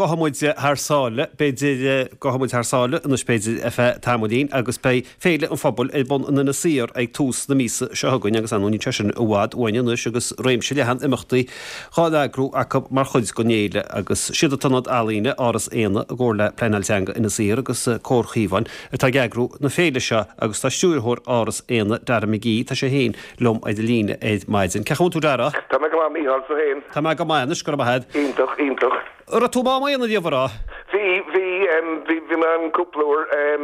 gabhfaidh muid thar sáile, b'fhéidir, gabhfaidh muid thar sáile anois b'fhéidir ar feadh tamaillín agus beidh Féile an Phobail ar bun in Inis Oírr ag tús na míosa seo chugainn agus ar ndóigh níl sé sin i bhfad uainn anois agus réimse leathan imeachtaí dhá n-eagrú acu mar chuid den fhéile agus siad an tIonad Ealaíne, Áras Éanna i gcomhar le Pleanáil Teanga Inis Oírr agus Comhar Chaomháin atá ag eagrú na féile seo agus tá Stiúrthóir Áras Éanna, Dara McGee, tá sé féin liom ar an líne ar maidin. Cén chaoi a bhfuil tú Dara? Tá mé go maith Mícheál, tú féin? Tá mé go maith anois, go raibh maith agat. Iontach, iontach. An raibh tú i Mám Éanna riamh, an raibh? Bhí, bhí, bhí, bhí mé ann cúpla uair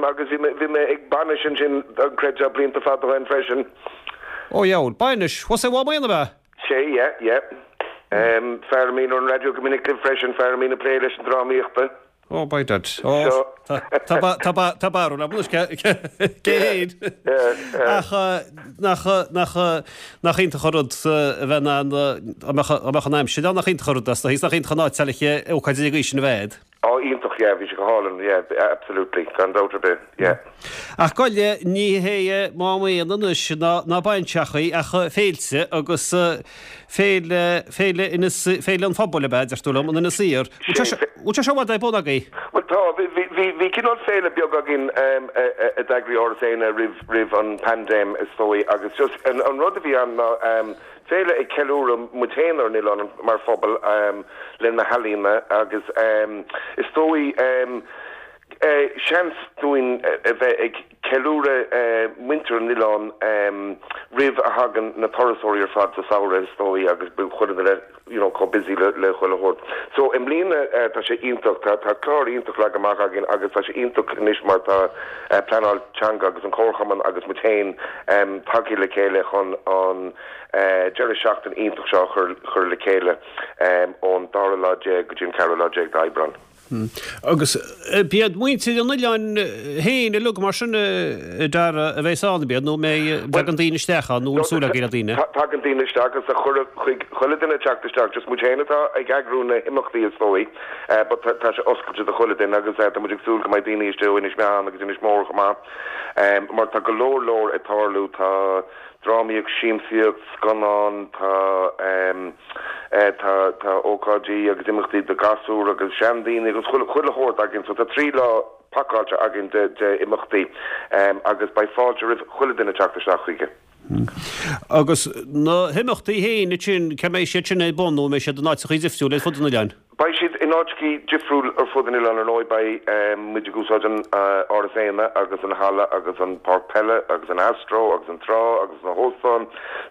agus bhí mé, bhí mé ag bainis ansin, an gcreidfeá, blianta fada ó shin freisin. Ó dheabhail, bainis, thuas i Mám Éanna ab ea? Sea, yeah, yeah. Fear a mbíonn ar an raidió go minic libh freisin, fear a mbíonn ag plé leis an drámaíochta. Oh, by dad. Oh, tá barúil agam anois cé hé. Ach nach nach iontach an rud a bheith in ann, dá mbeadh an aimsir ann, nach iontach an rud as do thaobh, nach iontach an áit le ócáid den gcaoi sin a bheith agat. Oh, iontach, yeah, bhí sé go hálainn, yeah, absolutely, gan dabht ar bith, yeah. Ach goile, ní hé Mám Éanna anois ná bainseachaí ach féilte agus Féile, Féile Inis, Féile an Phobail ab ea, deir tú liom, in Inis Oírr. Bhfuil sé seo, bhfuil sé seo i bhfad ar bun agaibh? Bhuel tá, bhí, bhí, bhí, bhí cineál féile beag againn a d'eagraigh Áras Éanna roimh, roimh an paindéim is dóigh agus just an, an rud a bhí ann ná féile ag ceiliúradh muid féin ar an oileán mar phobal le na healaíona agus is dóigh seans dúinn a bheith ag ceiliúradh muintir an oileáin roimh a thagann na turasóirí ar fad sa samhradh is dóigh agus bíonn chuile dhuine you know chomh busy le le chuile shórt. So i mbliana tá sé iontach, tá tá clár iontach leagtha amach againn agus tá sé iontach anois mar tá pleanáil teanga agus an Comharchumann agus muid féin tagtha le chéile chun an deireadh seachtaine iontach seo a chur chur le chéile ón dara lá déag go dtí an ceathrú lá déag d'Aibreán. Agus b'iad muintir an oileáin féin uilig mar sin a Dara a bheas ann, ab iad, nó an mbeidh, dtagann daoine isteach ann, nó an súil agaibh le daoine? Tagann daoine isteach agus tá cuireadh chuig chuile duine teacht isteach, just muid féin atá ag eagrú na himeachtaí is dóigh, but tá sé oscailte do chuile duine agus tá muid ag súil go mbeidh daoine istigh ó Inis Meáin agus Inis Mór chomh maith, mar tá go leor leor ag tarlú, tá drámaíocht, siamsaíocht, scannán, tá tá tá ócáidí agus imeachtaí do ghasúir agus seandaoine agus chuile chuile shórt againn so tá 3 lá pacáilte againn de de imeachtaí agus beidh fáilte roimh chuile duine teacht isteach chuige. Agus na himeachtaí féin ansin, cá mbeidh siad sin ar bun nó an mbeidh siad in áiteachaí difriúla ar fud an oileáin? Beidh siad in áiteachaí difriúil ar fud an oileáin ar ndóigh. Beidh muid ag úsáid an Áras Éanna agus an halla agus an páirc peile agus an Astro agus an trá agus na hóstáin.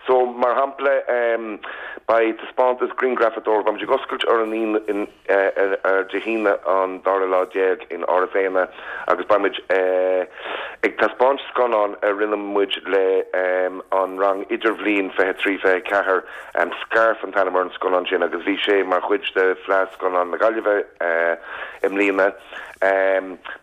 So, mar shampla, beidh taispeántas grianghrafadóireachta, beidh muid ag oscailt ar an Aoine, ar Dé hAoine an dara lá déag in Áras Éanna agus beidh muid ag taispeáint scannán a rinne muid le an rang idirbhliain 23, 24. Scarf an t-ainm ar an scannán sin agus bhí sé mar chuid de Fleadh Scannán na Gaillimhe i mbliana.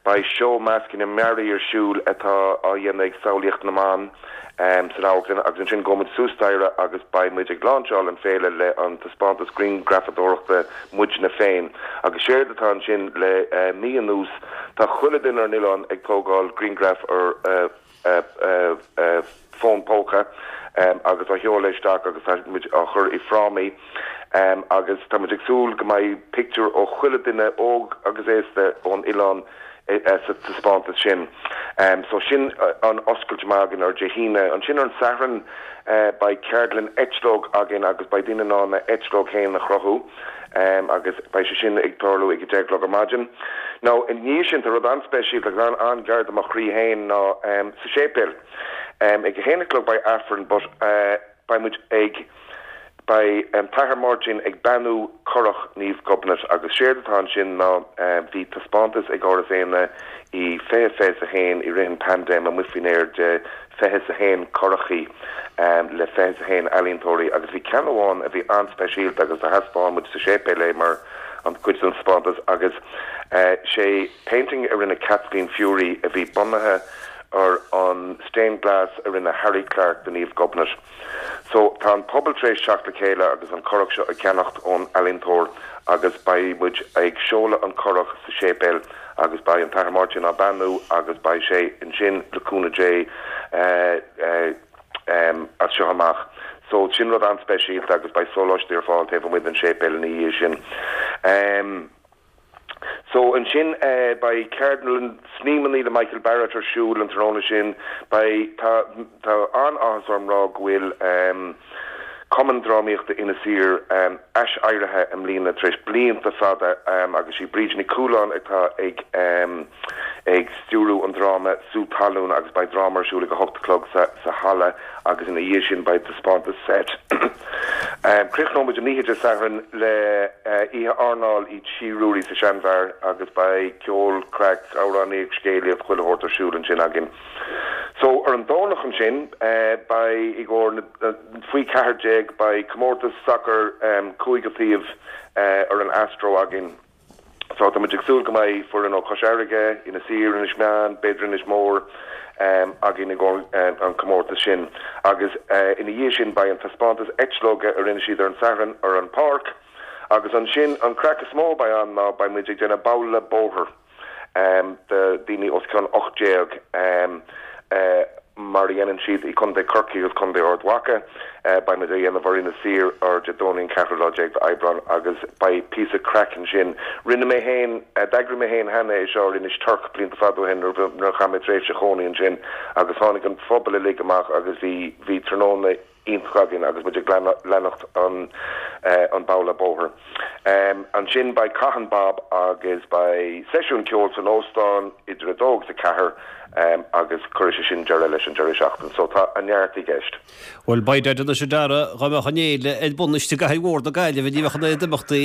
Beidh seó measctha mearaí ar siúl atá á dhéanamh ag Samhlaíocht na mBan san amharclann agus ansin gabhfaidh muid suas staighre agus beidh muid ag láinseáil an féile le an taispeántas grianghrafadóireachta Muidne Féin. Agus séard atá ansin le mí anuas tá chuile duine ar an oileán ag tógáil grianghraf ar fón póca agus á sheoladh isteach agus tá muid á chur i frámaí agus tá muid ag súil go mbeidh pictiúr ó chuile duine, óg agus aosta, ón oileán sa taispeántas sin. So sin an oscailt amach againn ar Dé hAoine. Ansin ar an Satharn beidh ceardlann eitleog againn agus beidh daoine in ann a eitleog féin a chruthú. agus beidh sé sin ag tarlú ag 10 a chlog ar maidin. Now, i ndiaidh sin, tá rud an-speisialta agus an-ghar do mo chroí féin ná sa séipéal. Ag a haon a chlog beidh Aifreann but beidh muid ag, beidh an tAthair Máirtín ag beannú curach Naomh Gobnait agus séard atá ansin ná bhí taispeántas ag Áras Éanna i 2021 i rith an paindéim amuigh faoin aer de 21 curachaí le 21 ealaíontóirí agus bhí ceann amháin a bhí an-speisialta agus do thaispeáin muid sa séipéal é mar an cuid den taispeántas agus sé painting a rinne Kathleen Furey a bhí bunaithe ar an stained glass a rinne Harry Clarke do Naomh Gobnait. So tá an pobal tar éis teacht le chéile agus an curach seo a cheannacht ón ealaíontóir agus beidh muid ag seoladh an curach sa séipéal agus beidh an tAthair Máirtín á beannú agus beidh sé ansin le cúnamh Dé as seo amach. So sin rud an-speisialta agus beidh sóláistí ar fáil taobh amuigh den séipéal ina dhiaidh sin. So ansin beidh ceardlann snaidhmeanna le Michael Barrett ar siúl an tráthnóna sin. Beidh, tá, tá an-áthas orm rá go bhfuil Cumann Drámaíochta Inis Oírr ais-éirithe i mbliana tar éis blianta fada agus sí Bríd Nic Cualáin atá ag ag stiúrú an dráma Sú Talún agus beidh dráma ar siúl ag 8 a chlog sa sa halla agus ina dhiaidh sin beidh taispeántas seit. Críochnóidh muid an oíche Dé Sathairn le oíche airneáil i Tí Ruairí sa Seanbheár agus beidh ceol, craic, amhránaíocht, scéalaíocht, chuile shórt ar siúl ansin againn. So ar an Domhnach ansin beidh i gcomhair na faoi 14 beidh comórtas sacair cúigear taobh ar an Astro againn. So tá muid ag súil go mbeidh foireann ó Chois Fharraige, Inis Oírr, Inis Meáin, b'fhéidir Inis Mór againn i gcomhair an comórtas sin. Agus ina dhiaidh sin beidh an taispeántas eitleoige a rinne siad ar an Satharn ar an páirc. Agus ansin an craic is mó a beidh ann ná beidh muid ag déanamh babhla bóthair. do daoine os cionn 18 mar a dhéanann siad i Contae Chorcaí agus Contae Ard Mhacha. Beidh muid á dhéanamh ar Inis Oírr ar Dé Domhnaigh an ceathrú lá déag d'Aibreán agus beidh píosa craic ansin. Rinne mé féin, d'eagraigh mé féin cheana é seo ar Inis Toirc blianta fada ó shin nuair a chaith mé tréimhse chónaí ansin agus tháinig an phobal uilig amach agus bhí, bhí tráthnóna iontach againn agus muid ag leanacht an babhla bóthair. Ansin beidh Caith an Bob agus beidh seisiún ceoil san óstán idir 2 agus 4 agus cuirfidh sé sin deireadh leis an deireadh seachtaine. So tá an neart i gceist. Bhuel, by dad anois a Dara, dá mbeadh an fhéile ar bun istigh i gcathair mhór na Gaillimhe ní bheadh an oiread imeachtaí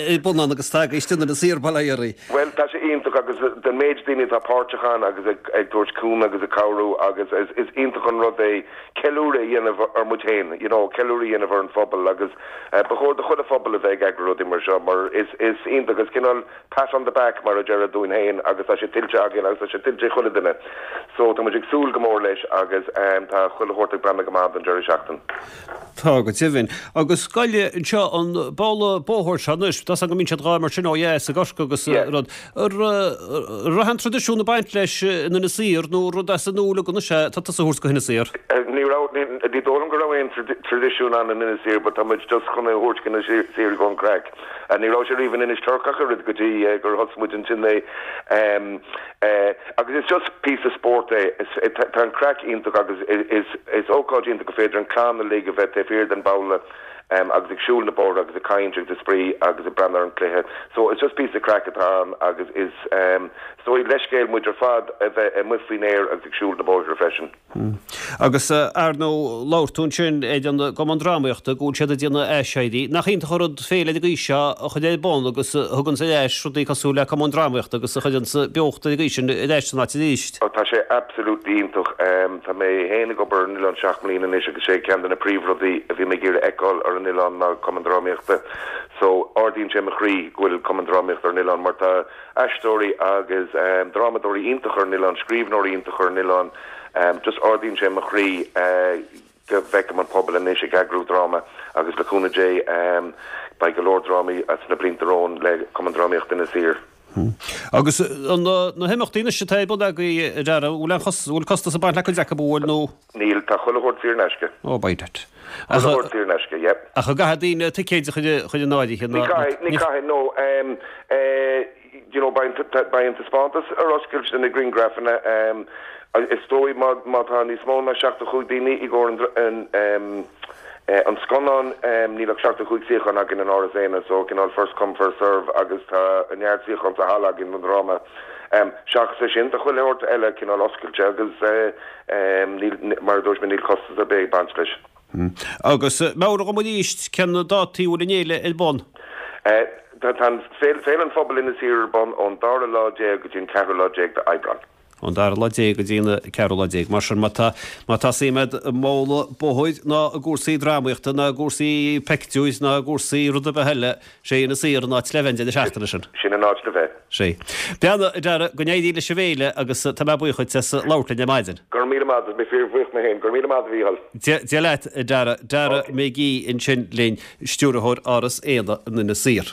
ar bun ann agus atá agaibh istigh in Inis Oírr, bail ó Dhia oraibh. Bhuel, tá sé iontach agus den méid daoine atá páirteach ann agus ag tabhairt cúnamh agus ag cabhrú agus is iontach an rud é ceiliúradh a dhéanamh ar muid féin, you know, ceiliúradh a dhéanamh ar an phobal agus ba chóir do chuile phobal a bheith ag eagrú rudaí mar seo mar is is iontach, is cineál pat on the back mar a déarfá dúinn féin agus tá sé tuillte againn agus tá sé tuillte ag chuile duine. So tá muid ag súil go mór leis agus tá chuile shórt ag breathnú go maith don deireadh seachtain. Tá go deimhin. Agus goile anseo an babhla bóthair seo anois, tá 's agam go mbíonn siad dhá imirt sin ó dheas i gCorcaigh agus rud. An raibh aon traidisiún ag baint leis in Inis Oírr nó rud as an nua uilig anois é atá tusa a thabhairt go hInis Oírr? Ní raibh, ní dóigh liom go raibh aon traidisiún ann in Inis Oírr but tá muid just chun é a thabhairt go Inis Oírr i gcomhair an craic. Ní raibh sé riamh in Inis Toirc ach oiread go dtí gur thosaigh muid ansin é. Agus is just píosa spóirt é. Tá an craic iontach agus is ócáid iontach gur féidir an clann uilig a bheith taobh thiar den babhla. agus ag siúl na bóithre agus ag caint agus ag spraoi agus ag breathnú ar an cluiche. So it's just píosa craic atá ann agus is is dóigh leithscéal muid ar fad a bheith amuigh faoin aer agus ag siúl na bóithre freisin. Agus ar ndóigh labhair tú ansin ar an gCumann Drámaíochta go bhfuil siad ag déanamh aiséirí. Nach iontach an rud féile ar an gcaoi seo a chur ar bun agus a thuganns ar ais rudaí cosúil le Cumann Drámaíochta agus a chuireanns beocht ar an gcaoi sin ar ais san áit arís. Ó tá sé absolutely iontach. Tá mé féin ag obair ar an oileán seacht mbliana anois agus sé ceann de na príomhrudaí a bhí mé ag iarraidh a fheiceáil ar an oileán ná Cumann Drámaíochta. So ardaíonn sé mo chroí go bhfuil Cumann Drámaíochta ar an oileán mar tá aisteoirí agus drámadóirí iontach ar an oileán, scríbhneoirí iontach ar an oileán. Just ardaíonn sé mo chroí. go bhfeicim an pobal anois ag eagrú dráma agus le cúnamh Dé beidh go leor drámaí sna blianta romhainn le Cumann Drámaíochta Inis Oírr. Agus na himeachtaí anois atá ar bun agaibh a Dhara, bhfuil aon bhfuil costas ag baint le cuid acu, bhfuil nó? Níl, tá chuile shórt saor in aisce. Oh, by dad. Chuile shórt saor in aisce, yep. Ach an gcaithfidh daoine ticéid a chur in áirithe? Ní chaithfidh, ní chaithfidh, no. You know, beidh an taispeántas ar oscailt do na grianghrafanna. Is dóigh má tá níos mó ná 75 daoine i gcomhair an scannán, níl ach 75 suíochán againn in Áras Éanna, so cineál first come first serve agus tá neart suíochán sa halla againn don dráma. Seachas é sin, tá chuile shórt eile cineál oscailte agus níl, mar a dúirt mé, níl costas ar bith ag baint leis. Agus meabhraigh dom arís cén dátaí a bhfuil an fhéile ar bun? Tá an Féile an Phobail Inis Oírr ar bun ón dara lá déag go dtí an ceathrú lá déag d'Aibreán. Ón dara lá déag go dtí an ceathrú lá déag. Mar sin, má tá, má tá suim agat i mbabhla bóthair ná i gcúrsaí drámaíochta ná i gcúrsaí peictiúir ná i gcúrsaí rud ar bith eile, sé Inis Oírr an áit le bheith an deireadh seachtaine sin. Sin an áit le bheith. Sé. Beannacht a Dhara, go n-éirí leis an bhféile agus tá mé buíoch duit as labhairt linn ar maidin. Go raibh míle maith agat, mé fíor-bhuíoch mé féin. Go raibh míle maith agat a Mhícheáil. Dia leat a Dhara. Dara McGee ansin linn, Stiúrthóir Áras Éanna in Inis Oírr.